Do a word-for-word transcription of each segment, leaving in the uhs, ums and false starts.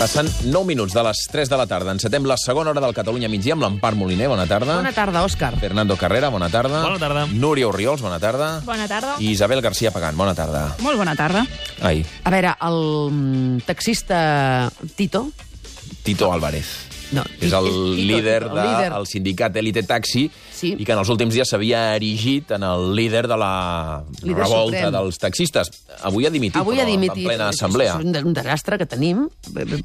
Passen nou minuts de les tres de la tarda. Encetem la segona hora del Catalunya migdia amb l'Empar Moliner. Bona tarda. Bona tarda, Òscar. Fernando Carrera, bona tarda. Bona tarda. Núria Orriols, bona tarda. Bona tarda. I Isabel García Pagán, bona tarda. Molt bona tarda. Ai, A veure, el taxista Tito... Tito Álvarez. No, És el Tito, líder el del líder. sindicat Elite Taxi Sí. i que en els últims dies s'havia erigit en el líder de la Líder revolta suprem. dels taxistes. Avui ha dimitit, Avui però, ha dimitit. en plena assemblea. És un, un desastre que tenim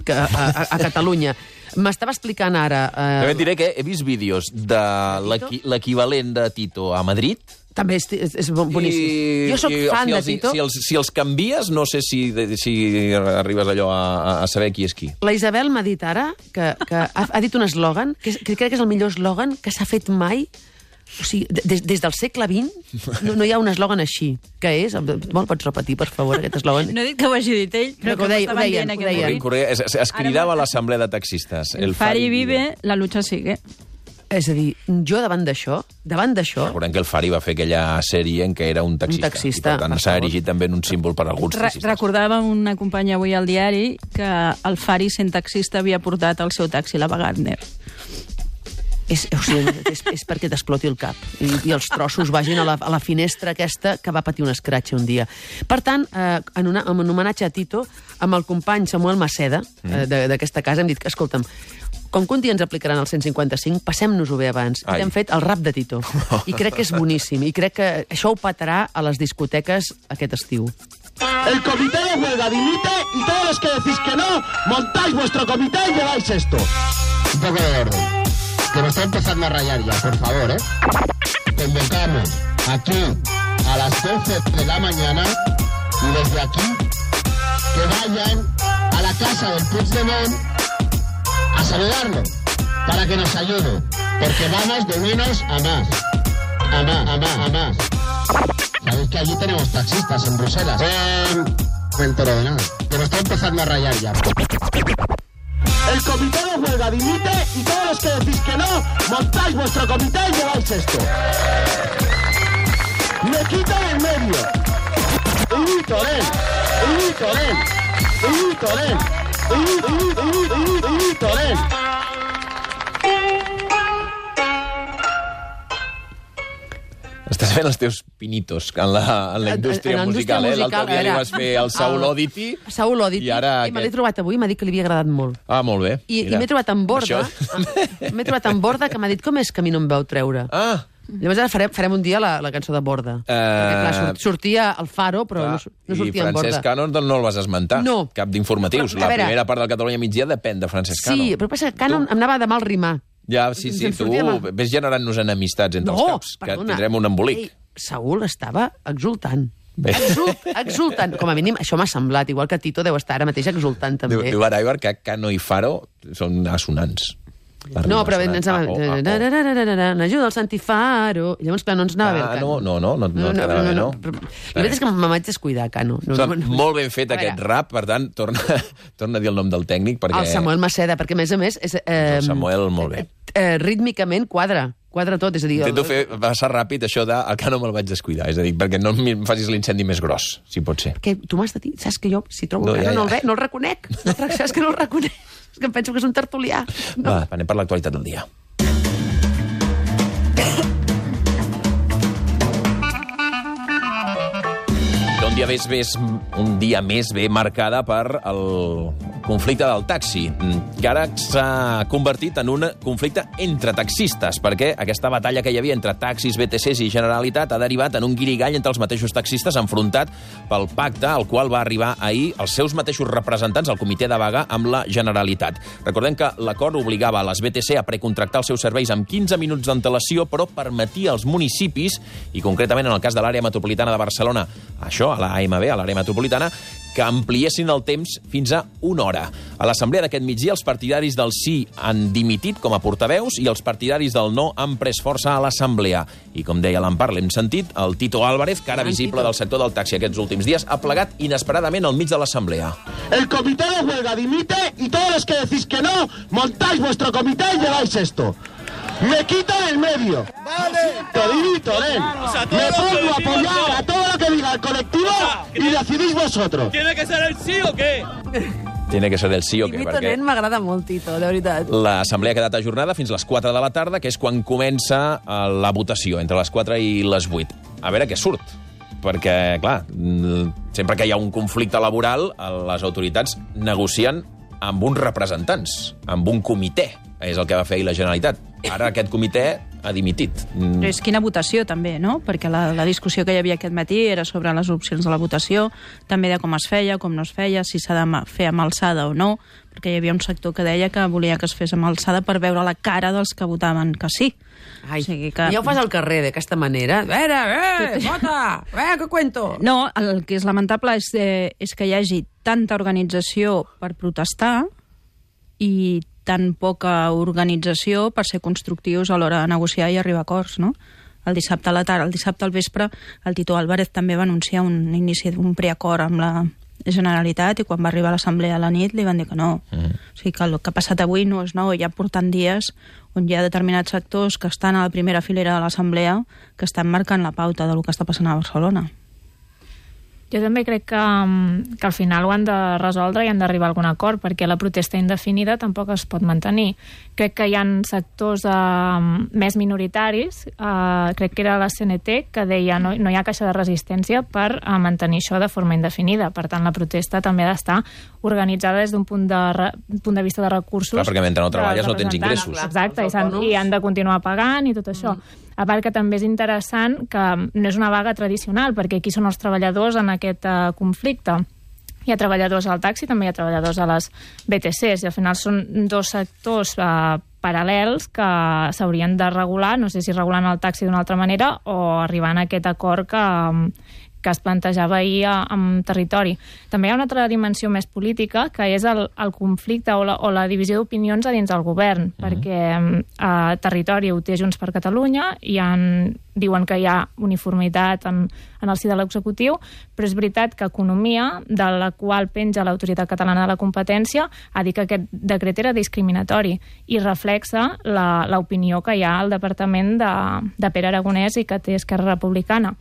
que, a, a, a Catalunya. M'estava explicant ara... Eh, També et diré que he vist vídeos de l'equi- l'equivalent de Tito a Madrid. També és, és, és boníssim. I, jo sóc i, fan si de els, Tito. Si els, si els canvies, no sé si, si arribes allò a, a saber qui és qui. La Isabel m'ha dit ara que, que ha, ha dit un eslògan, que, és- que crec que és el millor eslògan que s'ha fet mai. O sigui, des, des del segle vint no, no hi ha un eslògan així. Què és? Me'l pots repetir, per favor, aquest eslògan? No he dit que ho hagi dit ell, però No, que ho deia- m'estaven ho deien, dient ho aquest deien. matí. Correa, es, es, es cridava a l'assemblea de taxistes. El Fari vive, la lucha sigue. És a dir, jo davant d'això, davant d'això... Recordem que el Fari va fer aquella sèrie en què era un taxista. Un taxista, I, per tant, per s'ha favor. erigit també en un símbol per a alguns Re taxistes. recordava una companya avui al diari que el Fari, sent taxista, havia portat el seu taxi, la Wagner. És, o sigui, és, és perquè t'exploti el cap i, i els trossos vagin a la, a la finestra aquesta que va patir un escratx un dia. Per tant, eh, en, una, en un homenatge a Tito, amb el company Samuel Maceda, eh, de- d'aquesta casa, hem dit que, escolta'm, com que un dia ens aplicaran el cent cinquanta-cinc, passem-nos-ho bé abans. Ai. I hem fet el rap de Tito. I crec que és boníssim. I crec que això ho petarà a les discoteques aquest estiu. El comité de huelga dimite y todos los que decís que no, montáis vuestro comité y lleváis esto. Un poco de orden. Que me está empezando a rayar ya, por favor, ¿eh? Convocamos aquí a las doce de la mañana y desde aquí que vayan a la casa del Puigdemont a saludarlo para que nos ayude. Porque vamos de menos a más. A más, a más, a más. Sabéis que allí tenemos taxistas en Bruselas. Eh, no me entero de nada. Que me está empezando a rayar ya. El comité de huelga dimite y todos los que decís que no, montáis vuestro comité y lleváis esto. Me quito del medio. Y Torén, y Torén, y Torén, y Torén. Estàs fent els teus pinitos en la, en la indústria En la indústria musical, eh? musical, L'altre dia li era- vas fer el Saul Oddity. Saul Oddity. I ara I me l'he aquest. trobat avui i m'ha dit que li havia agradat molt. Ah, molt bé. I, i Mira. m'he trobat en Borda, Això- m'he trobat en Borda que m'ha dit com és que a mi no em veu treure. Ah, Llavors ara farem, farem un dia la, la cançó de Borda. Uh... Perquè, clar, sort, sortia al Faro, però clar. no, sur- no I sortia en Francesc Borda. Cano no, no el vas esmentar. No. Cap d'informatius. Però, a La veure- primera part del Catalunya migdia depèn de Francesc Cano. Sí, però passa que Cano em anava de mal rimar. Ja, sí, sí, Ens tu sortia mal. ves generant-nos enemistats entre els caps, que tindrem un embolic. Ei, Saúl estava exultant. Bé. Exult, exultant. Com a mínim, això m'ha semblat. Igual que Tito deu estar ara mateix exultant, també. Diu, diu ara, Ibar, que Cano i Faro són assonants. La No, rima però sonant. ens anava... Ah, oh, ah, oh. N'ajuda el Santi Faro. I llavors, clar, no ens anava bé el Ah, Cano. no, no, no, no, no, quedava bé, no? Però la veritat és que me vaig descuidar, Cano. No, Està no, no. molt ben fet A veure, aquest rap, per tant, torna, torna a dir el nom del tècnic, perquè El Samuel Maceda, perquè a més a més... És, eh, el Samuel molt bé. Eh, rítmicament quadra. Quadra tot, és a dir... Intento el- fer passar ràpid això de el Cano me'l vaig descuidar, és a dir, perquè no em facis l'incendi més gros, si pot ser. Que tu m'has de dir, saps que jo, si trobo No, no, ja, Cano, no, ja. el ve, no el reconec. No, saps que no el reconec? És que em penso que és un tertulià. No. Va, anem per l'actualitat del dia. Un dia més, més, un dia més bé marcada per el conflicte del taxi, que ara s'ha convertit en un conflicte entre taxistes, perquè aquesta batalla que hi havia entre taxis, B T Cs i Generalitat ha derivat en un guirigall entre els mateixos taxistes enfrontat pel pacte al qual va arribar ahir els seus mateixos representants al comitè de vaga amb la Generalitat. Recordem que l'acord obligava a les B T C a precontractar els seus serveis amb quinze minuts d'antelació, però permetia als municipis, i concretament en el cas de l'àrea metropolitana de Barcelona, això, a la A M B, a l'àrea metropolitana, que ampliessin el temps fins a una hora. A l'assemblea d'aquest migdia, els partidaris del sí han dimitit com a portaveus i els partidaris del no han pres força a l'assemblea. I com deia l'Empar, l'hem sentit, el Tito Álvarez, cara Gran visible Tito. del sector del taxi aquests últims dies, ha plegat inesperadament al mig de l'assemblea. El comité de huelga dimite y todos los que decís que no, montáis vuestro comité y lleváis esto. Me quito del medio. Vale. Torén. Me pongo a apoyar a todo lo que diga el colectivo y decidís vosotros. ¿Tiene que ser el sí o qué? Tiene que ser el sí o què, Tito perquè nen m'agrada molt, Tito, de veritat. l'assemblea ha quedat ajornada fins a les quatre de la tarda, que és quan comença eh, la votació, entre les quatre i les vuit. A veure què surt. Perquè, clar, sempre que hi ha un conflicte laboral, les autoritats negocien amb uns representants, amb un comitè. És el que va fer ahir la Generalitat. Ara aquest comitè ha dimitit. Però és quina votació, també, no? Perquè la, la discussió que hi havia aquest matí era sobre les opcions de la votació, també de com es feia, com no es feia, si s'ha de fer amb alçada o no, perquè hi havia un sector que deia que volia que es fes amb alçada per veure la cara dels que votaven que sí. Ai, o sigui que... ja ho fas al carrer d'aquesta manera. A veure, eh, vota, eh, que cuento. No, el que és lamentable és, eh, és que hi hagi tanta organització per protestar i tan poca organització per ser constructius a l'hora de negociar i arribar a acords, no? El dissabte a la tarda, el dissabte al vespre, el Tito Álvarez també va anunciar un inici d'un preacord amb la Generalitat i quan va arribar a l'assemblea a la nit li van dir que no. Mm. O sigui que el que ha passat avui no és nou, ja portant dies on hi ha determinats sectors que estan a la primera filera de l'assemblea que estan marcant la pauta del que està passant a Barcelona. Jo també crec que, que al final ho han de resoldre i han d'arribar a algun acord, perquè la protesta indefinida tampoc es pot mantenir. Crec que hi ha sectors eh, més minoritaris, eh, crec que era la C N T, que deia no, no hi ha caixa de resistència per eh, mantenir això de forma indefinida. Per tant, la protesta també ha d'estar organitzada des d'un punt, de re, punt de vista de recursos. Clar, perquè mentre no treballes no tens ingressos. Exacte, i, han, i han de continuar pagant i tot això. Mm. A part que també és interessant que no és una vaga tradicional, perquè aquí són els treballadors en aquest uh, conflicte. Hi ha treballadors al taxi, també hi ha treballadors a les B T Cs, i al final són dos sectors uh, paral·lels que s'haurien de regular, no sé si regulant el taxi d'una altra manera o arribant a aquest acord que, que es plantejava ahir en territori. També hi ha una altra dimensió més política, que és el, el conflicte o la, o la divisió d'opinions a dins del govern, mm-hmm. perquè a territori ho té Junts per Catalunya i en, diuen que hi ha uniformitat en, en el si de l'executiu, però és veritat que Economia, de la qual penja l'Autoritat Catalana de la Competència, ha dit que aquest decret era discriminatori i reflexa l'opinió que hi ha al Departament de, de Pere Aragonès i que té Esquerra Republicana.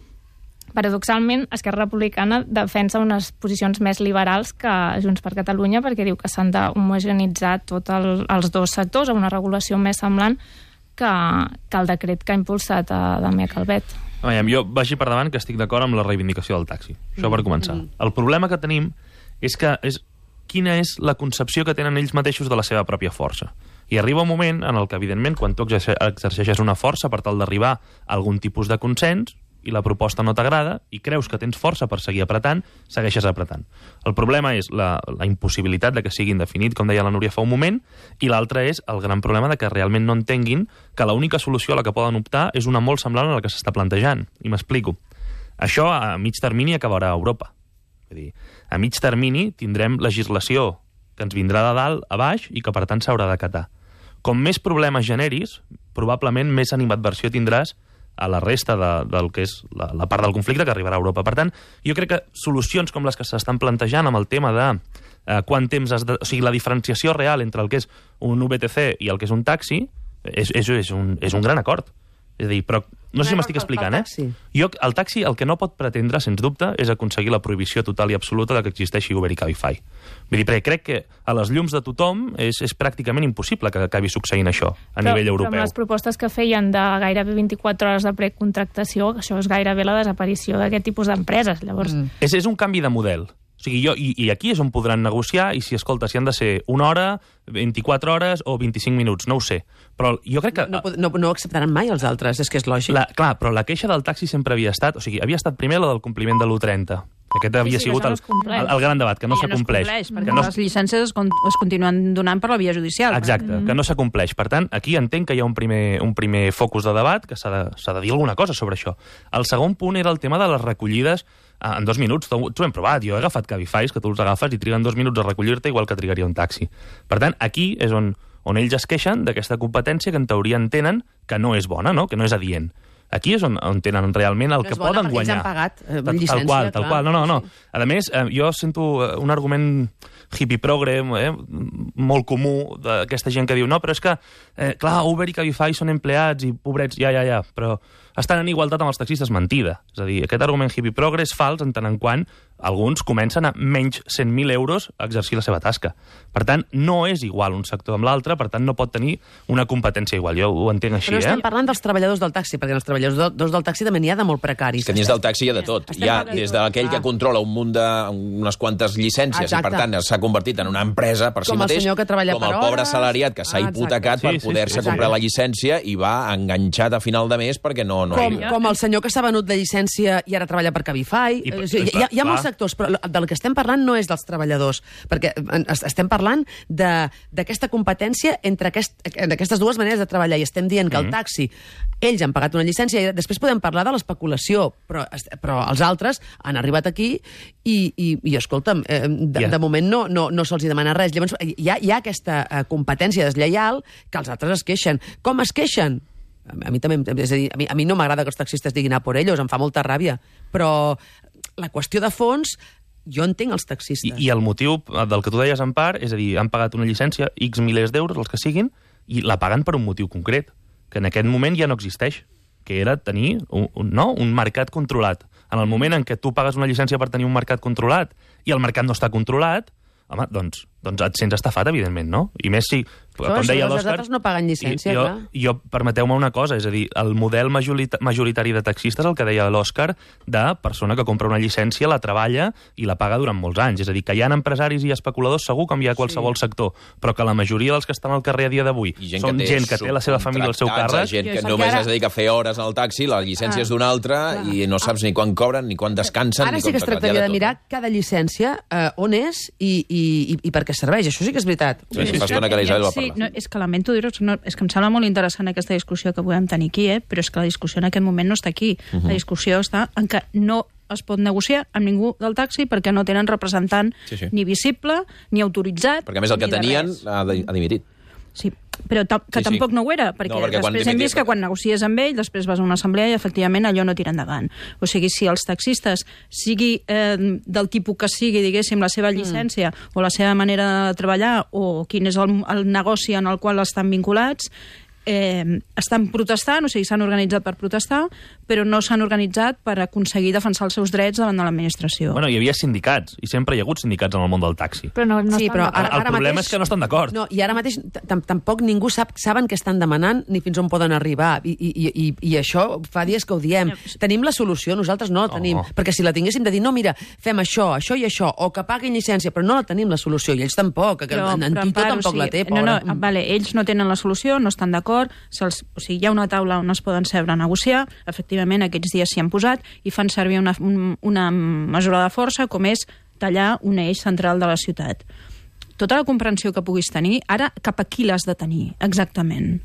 Paradoxalment, Esquerra Republicana defensa unes posicions més liberals que Junts per Catalunya perquè diu que s'han d'homogeneïtzar tots el, els dos sectors a una regulació més semblant que, que el decret que ha impulsat a Damià Calvet. Veiem, jo vagi per davant que estic d'acord amb la reivindicació del taxi. Això per començar. Mm. El problema que tenim és que és quina és la concepció que tenen ells mateixos de la seva pròpia força. I arriba un moment en el que, evidentment, quan tu exerceixes una força per tal d'arribar a algun tipus de consens, i la proposta no t'agrada, i creus que tens força per seguir apretant, segueixes apretant. El problema és la, la impossibilitat de que sigui indefinit, com deia la Núria fa un moment, i l'altre és el gran problema de que realment no entenguin que l'única solució a la que poden optar és una molt semblant a la que s'està plantejant. I m'explico. Això a mig termini acabarà a Europa. És a dir, a mig termini tindrem legislació que ens vindrà de dalt a baix i que per tant s'haurà d'acatar. Com més problemes generis, probablement més animadversió tindràs a la resta de, del que és la, la part del conflicte que arribarà a Europa. Per tant, jo crec que solucions com les que s'estan plantejant amb el tema de eh, quant temps has de... O sigui, la diferenciació real entre el que és un U B T C i el que és un taxi és, és, és, un, és un gran acord. És a dir, però no sé si m'estic explicant, eh? Jo, el taxi el que no pot pretendre, sens dubte, és aconseguir la prohibició total i absoluta de que existeixi Uber i Cabify. Vull dir, perquè crec que a les llums de tothom és, és pràcticament impossible que acabi succeint això a però, nivell europeu. Però amb les propostes que feien de gairebé vint-i-quatre hores de precontractació, això és gairebé la desaparició d'aquest tipus d'empreses. Llavors... Mm. És, és un canvi de model. O sigui, jo, i, i aquí és on podran negociar, i si, escolta, si han de ser una hora, vint-i-quatre hores o vint-i-cinc minuts, no ho sé. Però jo crec que... No, no, no acceptaran mai els altres, és que és lògic. La, clar, però la queixa del taxi sempre havia estat... O sigui, havia estat primer la del compliment de l'u trenta. Aquest havia sí, sí, sigut el, no el, el gran debat, que no s'acompleix. No s'acompleix, perquè no... les llicències es, con es continuen donant per la via judicial. Exacte, mm -hmm. que no s'acompleix. Per tant, aquí entenc que hi ha un primer, un primer focus de debat, que s'ha de, s'ha de dir alguna cosa sobre això. El segon punt era el tema de les recollides en dos minuts. T'ho hem provat, jo he agafat Cabify, que tu els agafes i triguen dos minuts a recollir-te igual que trigaria un taxi. Per tant, aquí és on, on ells es queixen d'aquesta competència que en teoria entenen que no és bona, no? Que no és adient. Aquí és on, on tenen realment el no que poden guanyar. Ells han pagat eh, tal, llicència, tal qual, tal clar. qual. No, no, no. A més, eh, jo sento un argument hippie progre, eh, molt comú d'aquesta gent que diu no, però és que, eh, clar, Uber i Cabify són empleats i pobrets, ja, ja, ja, però estan en igualtat amb els taxistes, mentida. És a dir, aquest argument hippie progre és fals en tant en quant alguns comencen a menys cent mil euros a exercir la seva tasca. Per tant, no és igual un sector amb l'altre, per tant, no pot tenir una competència igual. Jo ho entenc així, Però no eh? estem parlant dels treballadors del taxi, perquè els treballadors del taxi també n'hi ha de molt precaris. És que dins del taxi hi ha de tot. Hi ha des d'aquell que controla un munt de unes quantes llicències Exacte. i, per tant, s'ha convertit en una empresa per si Com el mateix, senyor que treballa com per el pobre hores. assalariat que s'ha Ah, hipotecat exacte. per Sí, sí, poder-se sí, comprar sí. la llicència i va enganxat a final de mes perquè no... no Com, hi... com el senyor que s'ha venut la llicència i ara treballa per Cabify. I- O sigui, hi, ha, hi ha clar. molts sectors, però del que estem parlant no és dels treballadors, perquè en- es- estem parlant de- d'aquesta competència entre aquest, en aquestes dues maneres de treballar, i estem dient que el taxi, ells han pagat una llicència, i després podem parlar de l'especulació, però, però els altres han arribat aquí i, i, i escolta'm, eh, de, Ja. de moment no, no, no se'ls hi demana res. Llavors, hi ha, hi ha aquesta eh, competència deslleial que els altres es queixen. Com es queixen? A mi també, és a dir, a mi, a mi no m'agrada que els taxistes diguin a por ellos, em fa molta ràbia, però la qüestió de fons, jo entenc els taxistes. I, I el motiu del que tu deies, en part, és a dir, han pagat una llicència, X milers d'euros, els que siguin, i la paguen per un motiu concret, que en aquest moment ja no existeix, que era tenir un, un, no? un mercat controlat. En el moment en què tu pagues una llicència per tenir un mercat controlat i el mercat no està controlat, home, doncs, doncs et sents estafat, evidentment, no? I més si, Però com això, deia els l'Òscar... altres no paguen llicència, i- jo, clar. jo, permeteu-me una cosa, és a dir, el model majorita majoritari de taxistes, el que deia l'Òscar, de persona que compra una llicència, la treballa i la paga durant molts anys. És a dir, que hi ha empresaris i especuladors segur com hi ha a qualsevol sí. sector, però que la majoria dels que estan al carrer a dia d'avui són té gent que té la seva família al seu càrrec. Gent que Jo només ara- es dedica a fer hores al taxi, la llicència Ah, és d'una altra i no saps ni quan cobren, ni quan descansen, Ara ni sí com que es tocat. Hi ha tractaria de tot. mirar cada llicència eh, on és i, i, i, i per què serveix. Això sí que és veritat. Sí, sí, fa estona que la Isabel va Sí, parlar. no, és que lamento dir-ho, no, és que em sembla molt interessant aquesta discussió que podem tenir aquí, eh? Però és que la discussió en aquest moment no està aquí. Uh -huh. La discussió està en que no es pot negociar amb ningú del taxi perquè no tenen representant Sí, sí. ni visible, ni autoritzat, Perquè, a més, el que ni de tenien res. ha, de, ha dimitit. Sí, però ta que Sí, sí. tampoc no ho era, perquè, No, perquè quan després hem dimitir- vist que quan negocies amb ell, després vas a una assemblea i efectivament allò no tira endavant. O sigui, si els taxistes, sigui eh, del tipus que sigui, diguéssim, la seva llicència mm. o la seva manera de treballar o quin és el, el negoci en el qual estan vinculats, eh, estan protestant, o sigui, s'han organitzat per protestar, però no s'han organitzat per aconseguir defensar els seus drets davant de l'administració. Bueno, hi havia sindicats, i sempre hi ha hagut sindicats en el món del taxi. Però no, no Sí, estan però d'acord. ara, El ara problema mateix, és que no estan d'acord. No, i ara mateix tam- tampoc ningú sap, saben què estan demanant ni fins on poden arribar. I, i, i, i això fa dies que ho diem. Tenim la solució, nosaltres no la tenim. Oh. Perquè si la tinguéssim de dir, no, mira, fem això, això i això, o que paguin llicència, però no la tenim la solució, i ells tampoc, que en, en Tito part, tampoc o sigui, la té, No, pobra. no, vale, ells no tenen la solució, no estan d'acord, se'ls- o sigui, hi ha una taula on es poden seure a negociar, efectivament aquests dies s'hi han posat i fan servir una, un- una mesura de força com és tallar un eix central de la ciutat. Tota la comprensió que puguis tenir, ara cap a qui l'has de tenir, exactament?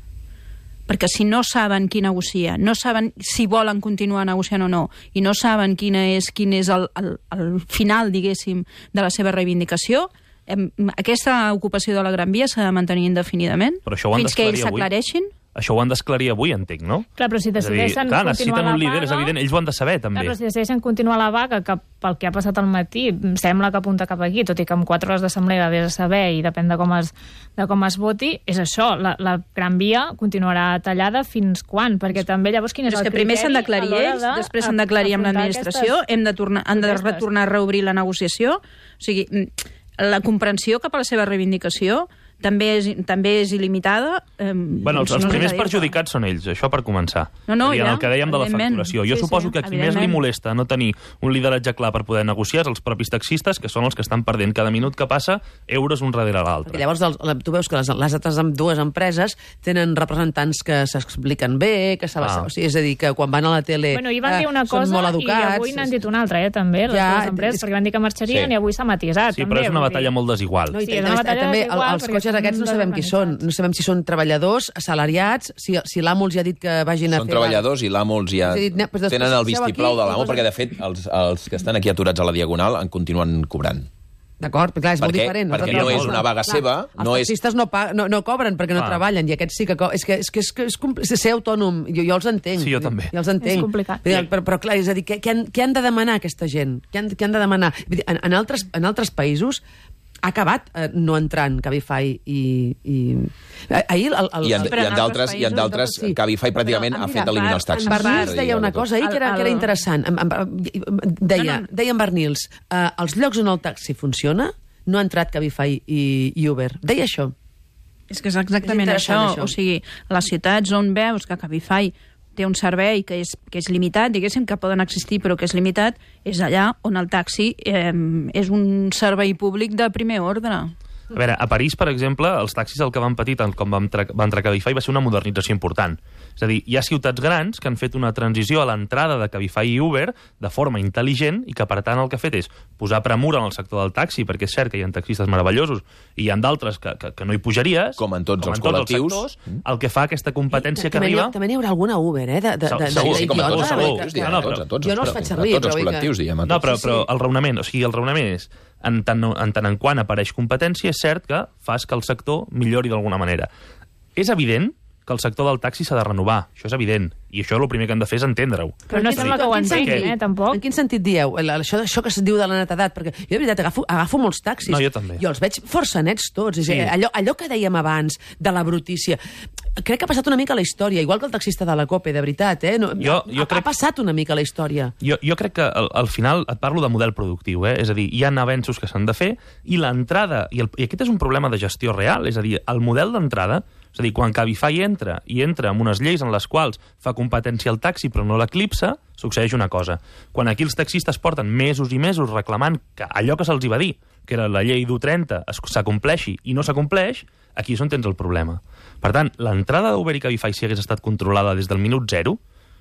Perquè si no saben qui negocia, no saben si volen continuar negociant o no, i no saben quina és, quin és el, el, el final, diguéssim, de la seva reivindicació, em, aquesta ocupació de la Gran Via s'ha de mantenir indefinidament Però això ho han fins que ells d'esclarir avui. s'aclareixin. Això ho han d'esclarir avui, entenc, no? Clar, però si És a dir, decideixen clar, continuar necessiten la un líder, vaga... és evident, ells ho han de saber, també. Clar, però si decideixen continuar la vaga, que pel que ha passat al matí sembla que apunta cap aquí, tot i que amb quatre hores d'assemblea vés a saber i depèn de com es, de com es voti, és això, la, la Gran Via continuarà tallada fins quan? Perquè també llavors quin és Però és el que primer criteri s'han d'aclarir a l'hora ells, de després s'han d'aclarir amb afrontar l'administració, aquestes hem de tornar, han de protestes. retornar a reobrir la negociació. O sigui, mm, la comprensió cap a la seva reivindicació també és, també és il·limitada. Eh, Bueno, els, no els sé primers què dir-te. perjudicats són ells, això per començar. No, no, I en ja, el que dèiem de la evidentment. facturació. Jo Sí, suposo sí, que a qui més li evidentment. molesta no tenir un lideratge clar per poder negociar és els propis taxistes, que són els que estan perdent cada minut que passa euros un darrere l'altre. Perquè llavors els, la- tu veus que les, les altres amb dues empreses tenen representants que s'expliquen bé, que saben, Ah. o sigui, és a dir, que quan van a la tele Bueno, ahir van eh, dir una són cosa molt i educats. avui n'han dit una altra, eh, també, les Ja, dues empreses, és- perquè van dir que marxarien Sí. i avui s'ha matisat. Sí, també, però és una vull batalla dir. molt desigual. No, i Sí, també, és una batalla també el- desigual, els perquè cotxes són aquests no sabem qui són. desorganitzats. No sabem si són treballadors, assalariats, si, si l'amo els ha dit que vagin a Són fer... treballadors i l'amo els ja És a dir, ne- però després tenen el seu vistiplau aquí de i l'amo, posen- perquè, de fet, els, els que estan aquí aturats a la Diagonal en continuen cobrant. D'acord, però clar, és molt Perquè- diferent. perquè Nosaltres no és una vaga seva, Els no és- taxistes no, pa, no, no cobren perquè no Clar. treballen, i aquests sí que... Co és que és, que és, que és, compl- és ser autònom, jo, jo els entenc. Sí, jo també. Jo els entenc. És complicat. Vull dir, Però, però clar, és a dir, què, què, han, què han de demanar aquesta gent? Què han, què han de demanar? Vull dir, en, en, altres, en altres països ha acabat eh, no entrant Cabify i... i... Ahir el, el, I en, el, i en d'altres, i en d'altres sí. Cabify pràcticament Però, ha mira, fet eliminar els taxis. En Bernils deia una cosa ahir que era, que era El- interessant. En- en- Deia, deia en Bernils, eh, els llocs on el taxi funciona no ha entrat Cabify i, i Uber. Deia això. És que és exactament És això. interessant, això. O sigui, les ciutats on veus que Cabify té un servei que és, que és limitat, diguéssim, que poden existir però que és limitat, és allà on el taxi eh, és un servei públic de primer ordre. A veure, a París, per exemple, els taxis el que van patir tant com van entrar, va entrar Cabify va ser una modernització important. És a dir, hi ha ciutats grans que han fet una transició a l'entrada de Cabify i Uber de forma intel·ligent i que, per tant, el que ha fet és posar premura en el sector del taxi, perquè és cert que hi ha taxistes meravellosos i hi ha d'altres que, que, que no hi pujaries, Com en tots com els en tots col·lectius. els sectors, el que fa aquesta competència que també, arriba... També n'hi haurà alguna Uber, eh? De, de, de, Segur, de, sí, com a d'idiota, tots, segur. que- Sí, que- no, però- a tots, jo no els però- faig servir, a tots els però vull que- col·lectius, diguem. a No, tots. però, Sí, però sí. el raonament, o sigui, el raonament és, en tant, en tant en quant apareix competència, és cert que fas que el sector millori d'alguna manera. És evident que el sector del taxi s'ha de renovar, això és evident, i això el primer que hem de fer és entendre-ho. Però no En quin sembla que ho sentit- entenguin, sentit? eh, tampoc. En quin sentit dieu? El- Això, això que se'n diu de la netedat? Perquè jo, de veritat, agafo, agafo molts taxis. No, jo també. Jo els veig força nets tots. És Sí. sí. allò, allò que dèiem abans, de la brutícia. Crec que ha passat una mica a la història, igual que el taxista de la COPE, de veritat. Eh? No, Jo- jo ha, crec- ha passat una mica a la història. Jo, jo crec que al, al final et parlo de model productiu, eh? És a dir, hi ha avenços que s'han de fer i l'entrada, i, el, i aquest és un problema de gestió real, és a dir, el model d'entrada, és a dir, quan Cabify entra i entra amb unes lleis en les quals fa competència al taxi però no l'eclipsa, succeeix una cosa. Quan aquí els taxistes porten mesos i mesos reclamant que allò que se'ls hi va dir, que era la llei d'U trenta, es- s'acompleixi i no s'acompleix, aquí és on tens el problema. Per tant, l'entrada d'Uber i Cabify, si hagués estat controlada des del minut zero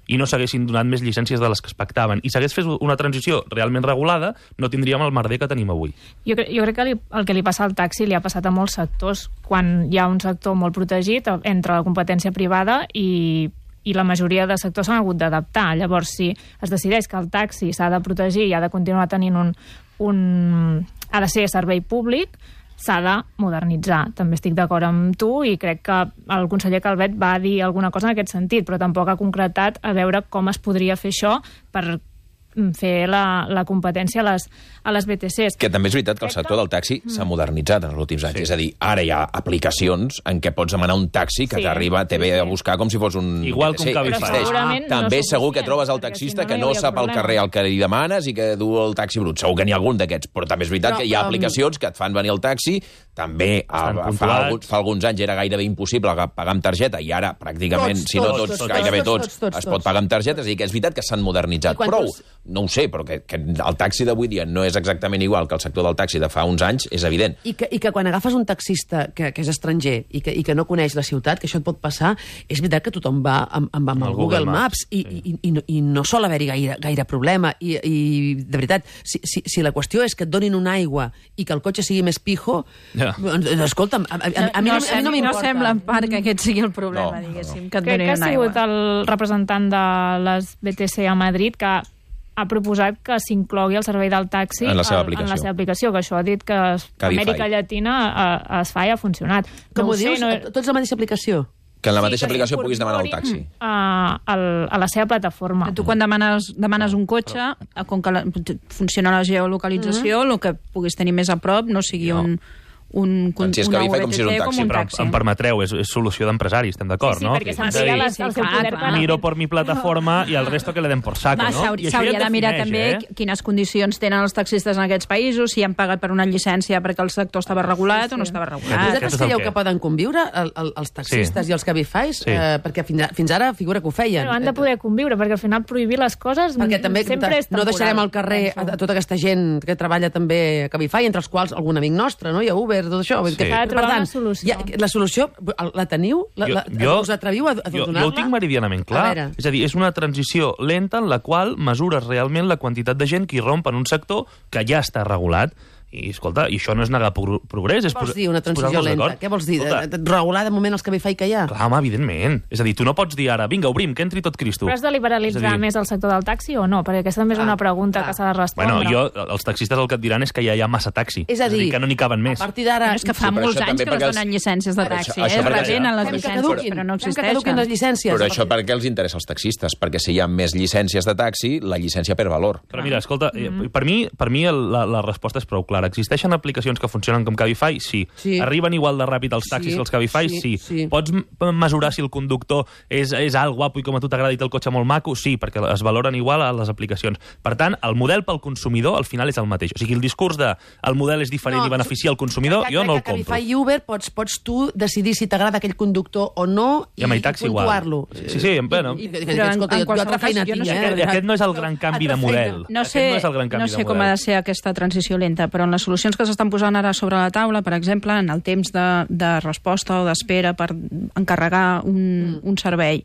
i no s'haguessin donat més llicències de les que es pactaven i s'hagués fet una transició realment regulada, no tindríem el merder que tenim avui. Jo, cre jo crec que li, el que li passa al taxi li ha passat a molts sectors, quan hi ha un sector molt protegit entre la competència privada i, i la majoria de sectors s'han hagut d'adaptar. Llavors, si es decideix que el taxi s'ha de protegir i ha de continuar tenint un... un ha de ser servei públic, s'ha de modernitzar. També estic d'acord amb tu i crec que el conseller Calvet va dir alguna cosa en aquest sentit, però tampoc ha concretat a veure com es podria fer això per fer la, la competència a les, a les B T Cs. Que també és veritat que el sector del taxi s'ha modernitzat en els últims anys. Sí. És a dir, ara hi ha aplicacions en què pots demanar un taxi que Sí. t'arriba, te ve a buscar com si fos un... Igual jo què que un sé, Cabify. existeix. Però segurament no També és segur que suficient, trobes el perquè taxista si no, que no no hi hauria sap al problema. carrer el que li demanes i que du el taxi brut. Segur que n'hi ha algun d'aquests. Però també és veritat Però, que hi ha um, aplicacions que et fan venir el taxi. També a, Estan fa, puntuats. alguns, fa alguns anys era gairebé impossible pagar amb targeta i ara pràcticament, Tots, si no tots, tots, tots, gairebé tots, tots, tots, tots, es tots. pot pagar amb targeta. És a dir, que és veritat que s'han modernitzat. I quan Prou, tu- no ho sé, però que, que el taxi d'avui dia no és exactament igual que el sector del taxi de fa uns anys, és evident. I que, I que quan agafes un taxista que, que és estranger i que, i que no coneix la ciutat, que això et pot passar, és veritat que tothom va amb, amb, amb el, el Google, Google Maps, Maps, i, sí. i, i, no, i no sol haver-hi gaire, gaire problema. I, I, de veritat, si, si, si la qüestió és que et donin una aigua i que el cotxe sigui més pijo, Ja. doncs, escolta'm, a, a, a, a, mi, no, a mi no m'importa. No sembla en part que aquest sigui el problema, No, diguéssim, que et Crec donin que ha una sigut aigua. el representant de les B T C a Madrid que ha proposat que s'inclogui el servei del taxi En la seva al- aplicació. en la seva aplicació, que això ha dit que a Cabify. Amèrica Llatina eh, es fa i ha funcionat. Com no ho sé, dius? no... Tots la mateixa aplicació? Que en la Sí, mateixa que aplicació puguis demanar el taxi. s'incorporin A, a, a la seva plataforma. Tu quan demanes, demanes un cotxe, com que la, funciona la geolocalització, el que puguis tenir més a prop no sigui No. un, un, un, Doncs si és una Cabify, com si és un V T C, taxi, com un Però taxi. em permetreu, és, és solució d'empresari, estem d'acord, Sí, sí, no? perquè És se'n a dir, tira les- sí, el seu clar, poder clar. econòmic. miro por mi plataforma i el resto que le den por saco, Va, no? s'hauri- I això S'hauria ja et de mirar defineix, també eh? quines condicions tenen els taxistes en aquests països, si han pagat per una llicència perquè el sector estava regulat Sí, sí. o no estava Vosaltres regulat. Aquest és el creieu què. que poden conviure el, el, els taxistes Sí. i els Cabifys? Sí. Eh, perquè fins, a, fins ara figura que ho feien. Bueno, han de poder conviure, perquè al final prohibir les coses Perquè també sempre és no temporal. deixarem al carrer a, a tota aquesta gent que treballa també a Cabify, entre els quals algun amic nostre, no? I a Uber, tot això. Vull dir Sí. Que, S'ha de per trobar tant, una solució. ja, la solució, la teniu? La, la, us atreviu a, a jo, donar-la? jo ho tinc meridianament A clar. veure. És a dir, és una transició lenta en la qual mesures realment la quantitat de gent que irromp en un sector que ja està regulat. I, escolta, i això no és negar pro progrés. És Què vols posar- dir, una és transició posar-nos lenta? d'acord. Què vols dir? Escolta, De, de, regular de moment els Cabify que hi ha? clar, home, evidentment. És a dir, tu no pots dir ara, vinga, obrim, que entri tot Cristo. Però has de liberalitzar És a dir, més el sector del taxi o no? Perquè aquesta també és una pregunta clar. que s'ha de respondre. Bueno, jo, els taxistes el que et diran és que ja hi ha massa taxi. És a dir, que no n'hi caben més. a partir d'ara... Bueno, és que fa Sí, però molts això anys també que no perquè es els- donen llicències de Però això- taxi, això eh? perquè- Retenen les Fem que llicències, caduquin, però no fem que caduquin les existeixen. llicències. Però això per què els interessa als taxistes? Perquè si hi ha més llicències de taxi, la llicència perd valor. Però mira, escolta, mm -hmm. per mi, per mi el, la, la resposta és prou clara. clara. Existeixen aplicacions que funcionen com Cabify? Sí. Sí. Arriben igual de ràpid els taxis Sí, que els Cabify? sí, Sí. sí. Pots m- mesurar si el conductor és, és alt, guapo i com a tu t'agrada i té el cotxe molt maco? Sí, perquè es valoren igual a les aplicacions. Per tant, el model pel consumidor al final és el mateix. O sigui, el discurs de el model és diferent i beneficia el consumidor, que- jo que- no el que compro. Cabify i Uber pots, pots tu decidir si t'agrada aquell conductor o no I amb el taxi igual. puntuar-lo. Sí, sí, bueno. I, i, i, Però en- escolta, en jo, jo qualsevol altra feina cas, jo no tinc, sé eh? Aquest, aquest no és el gran canvi de Altra feina. model. No Aquest sé, no és el gran canvi no de sé model. com ha de ser aquesta transició lenta, però en les solucions que s'estan posant ara sobre la taula, per exemple, en el temps de, de resposta o d'espera per encarregar un, un servei,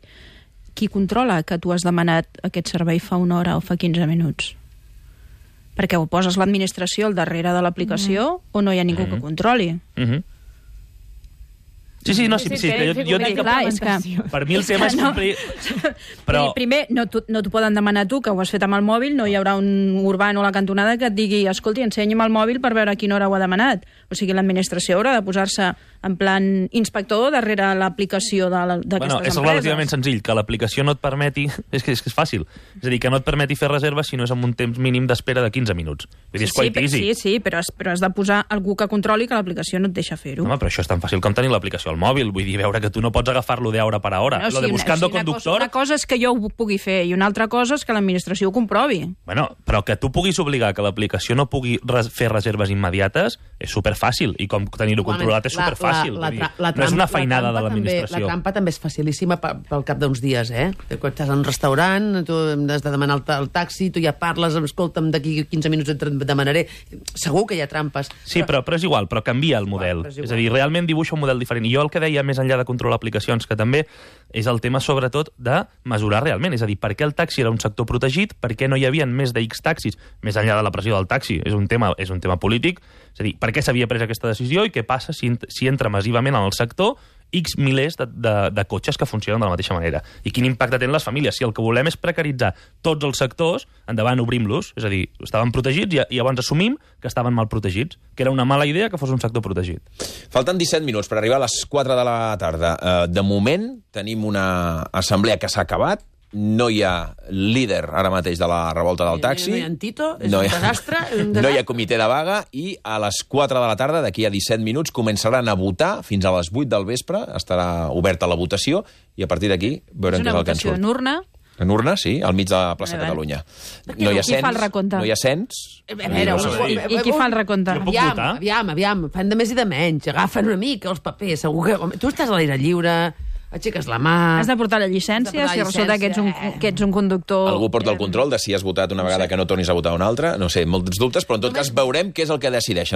qui controla que tu has demanat aquest servei fa una hora o fa quinze minuts? Perquè ho poses l'administració al darrere de l'aplicació mm. o no hi ha ningú mm. que controli? Mhm. Sí, sí, no, sí, Sí, sí, sí, que jo, jo sí, dic, sí, clar, és que... per mi el tema és no. complir... Però... Però, Primer, no t'ho no t'ho poden demanar tu, que ho has fet amb el mòbil, no hi haurà un urbano a la cantonada que et digui escolti, ensenya'm el mòbil per veure a quina hora ho ha demanat. O sigui, l'administració haurà de posar-se en plan inspector darrere l'aplicació de la- d'aquestes bueno, és empreses. relativament senzill, que l'aplicació no et permeti... És que, és que és fàcil. És a dir, que no et permeti fer reserves si no és amb un temps mínim d'espera de quinze minuts. Vull dir, és Sí, quite però- easy. sí, sí, però has, però has de posar algú que controli que l'aplicació no et deixa fer-ho. Home, però això és tan fàcil com tenir l'aplicació al mòbil. Vull dir, veure que tu no pots agafar-lo d'hora per hora. No, Lo sí, de una- buscando sí, una conductor... Cosa, una cosa és que jo ho pugui fer i una altra cosa és que l'administració ho comprovi. Bueno, però que tu puguis obligar que l'aplicació no pugui res fer reserves immediates és superfàcil, i com tenir-ho controlat és superfàcil. La, la, Vull la, dir, la, no és una la feinada trampa de també- l'administració. La trampa també és facilíssima pe- pel cap d'uns dies, eh? Que quan estàs en un restaurant, tu has de demanar el, ta- el taxi, tu ja parles, escolta'm, d'aquí quinze minuts et demanaré. Segur que hi ha trampes. Sí, però, però és igual, però canvia el model. però és igual. És a dir, realment dibuixa un model diferent. I jo el que deia, més enllà de controlar aplicacions, que també és el tema, sobretot, de mesurar realment. És a dir, per què el taxi era un sector protegit, per què no hi havia més de X taxis, més enllà de la pressió del taxi. És un tema, és un tema polític. És a dir, per què s'havia pres aquesta decisió i què passa si, si entra massivament en el sector X milers de, de, de cotxes que funcionen de la mateixa manera. I quin impacte tenen les famílies. Si el que volem és precaritzar tots els sectors, endavant, obrim-los. És a dir, estaven protegits i, i llavors assumim que estaven mal protegits, que era una mala idea que fos un sector protegit. Falten disset minuts per arribar a les quatre de la tarda. Eh, de moment, tenim una assemblea que s'ha acabat. No hi ha líder ara mateix de la revolta del taxi. No hi ha en Tito, és No un hi ha- desastre. Un No desastre. hi ha comitè de vaga i a les quatre de la tarda, d'aquí a disset minuts, començaran a votar fins a les vuit del vespre. Estarà oberta la votació i a partir d'aquí És veurem què una és el que en votació surt. en urna. En urna, sí, al mig de la plaça Vale, vale. Catalunya. Qui- No hi ha qui fa el cens, recompte? no hi ha cens. A veure, No un- sé dir. I qui fa el recompte? Jo puc aviam, votar? aviam, aviam, fan de més i de menys. Agafen una mica els papers, segur que... Home, tu estàs a l'aire lliure, aixeques la mà... Has de portar la Has de llicència, portar si la resulta que ets un, llicència. que ets un conductor... Algú porta el control de si has votat una vegada que no tornis a votar una altra. No sé, molts dubtes, però en tot cas veurem què és el que decideixen.